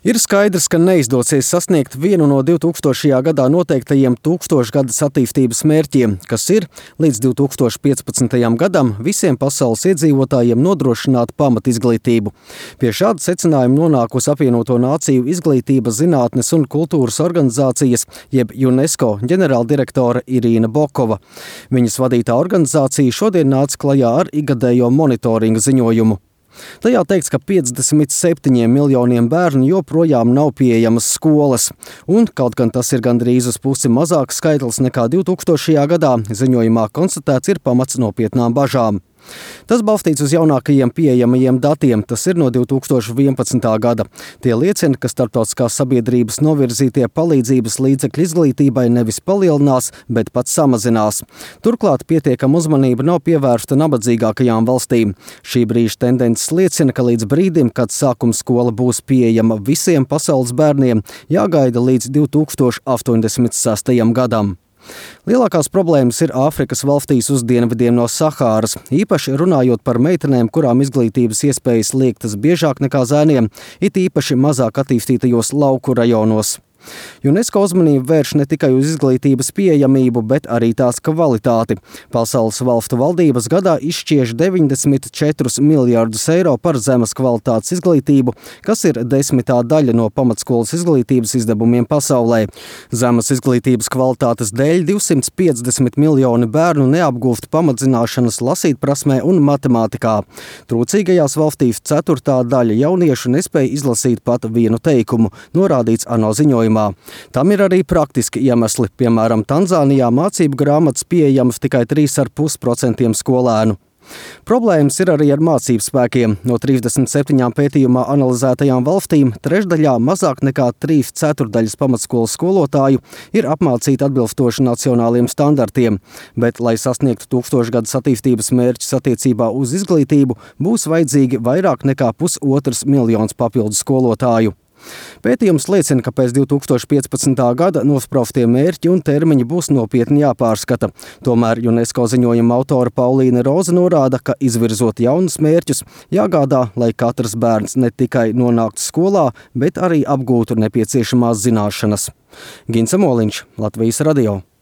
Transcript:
Ir skaidrs, ka neizdosies sasniegt vienu no 2000. gadā noteiktajiem tūkstošgadas attīstības mērķiem, kas ir līdz 2015. gadam visiem pasaules iedzīvotājiem nodrošināt pamatizglītību. Pie šāda secinājuma nonākusi Apvienoto Nāciju izglītības, zinātnes un kultūras organizācijas, jeb UNESCO ģenerāldirektore Irīna Bokova. Viņas vadītā organizācija šodien nāca klajā ar ikgadējo monitoringa ziņojumu. Tajā teikts, ka 57 miljoniem bērnu joprojām nav pieejamas skolas, un kaut gan tas ir gandrīz uz pusi mazāks skaitlis nekā 2000. gadā, ziņojumā konstatēts ir pamats nopietnām bažām. Tas balstīts uz jaunākajiem pieejamajiem datiem, tas ir no 2011. gada. Tie liecina, ka starptautiskās sabiedrības novirzītie palīdzības līdzekļi izglītībai nevis palielinās, bet pat samazinās. Turklāt pietiekama uzmanība nav pievērsta nabadzīgākajām valstīm. Šī brīža tendences liecina, ka līdz brīdim, kad sākuma skola būs pieejama visiem pasaules bērniem, jāgaida līdz 2086. gadam. Lielākās problēmas ir Āfrikas valstīs uz dienvidiem no Sahāras, īpaši runājot par meitenēm, kurām izglītības iespējas liektas biežāk nekā zēniem, it īpaši mazāk attīstītajos lauku rajonos. UNESCO uzmanību vērš ne tikai uz izglītības pieejamību, bet arī tās kvalitāti. Pasaules valstu valdības gadā izšķiež 94 miljārdus eiro par zemes kvalitātes izglītību, kas ir 10. daļa no pamatskolas izglītības izdevumiem pasaulē. Zemes izglītības kvalitātes dēļ 250 miljoni bērnu neapgūst pamatzināšanas lasītprasmē un matemātikā. Trūcīgajās valstīs 4. daļa jauniešu nespēja izlasīt pat vienu teikumu, norādīts ANO ziņojumā. Tam ir arī praktiski iemesli. Piemēram, Tanzānijā mācību grāmatas pieejamas tikai 3,5% skolēnu. Problēmas ir arī ar mācību spēkiem. No 37 pētījumā analizētajām valstīm trešdaļā mazāk nekā 3/4 pamatskolas skolotāju ir apmācīti atbilstoši nacionāliem standartiem, bet, lai sasniegtu tūkstošgadas attīstības mērķus attiecībā uz izglītību, būs vajadzīgi vairāk nekā 1,5 miljons papildu skolotāju. Pētījums liecina, ka pēc 2015. gada nospraustie mērķi un termiņi būs nopietni jāpārskata. Tomēr UNESCO ziņojuma autore Paulīne Roze norāda, ka izvirzot jaunus mērķus, jāgādā, lai katrs bērns ne tikai nonāktu skolā, bet arī apgūtu nepieciešamās zināšanas. Gints Moliņš, Latvijas radio.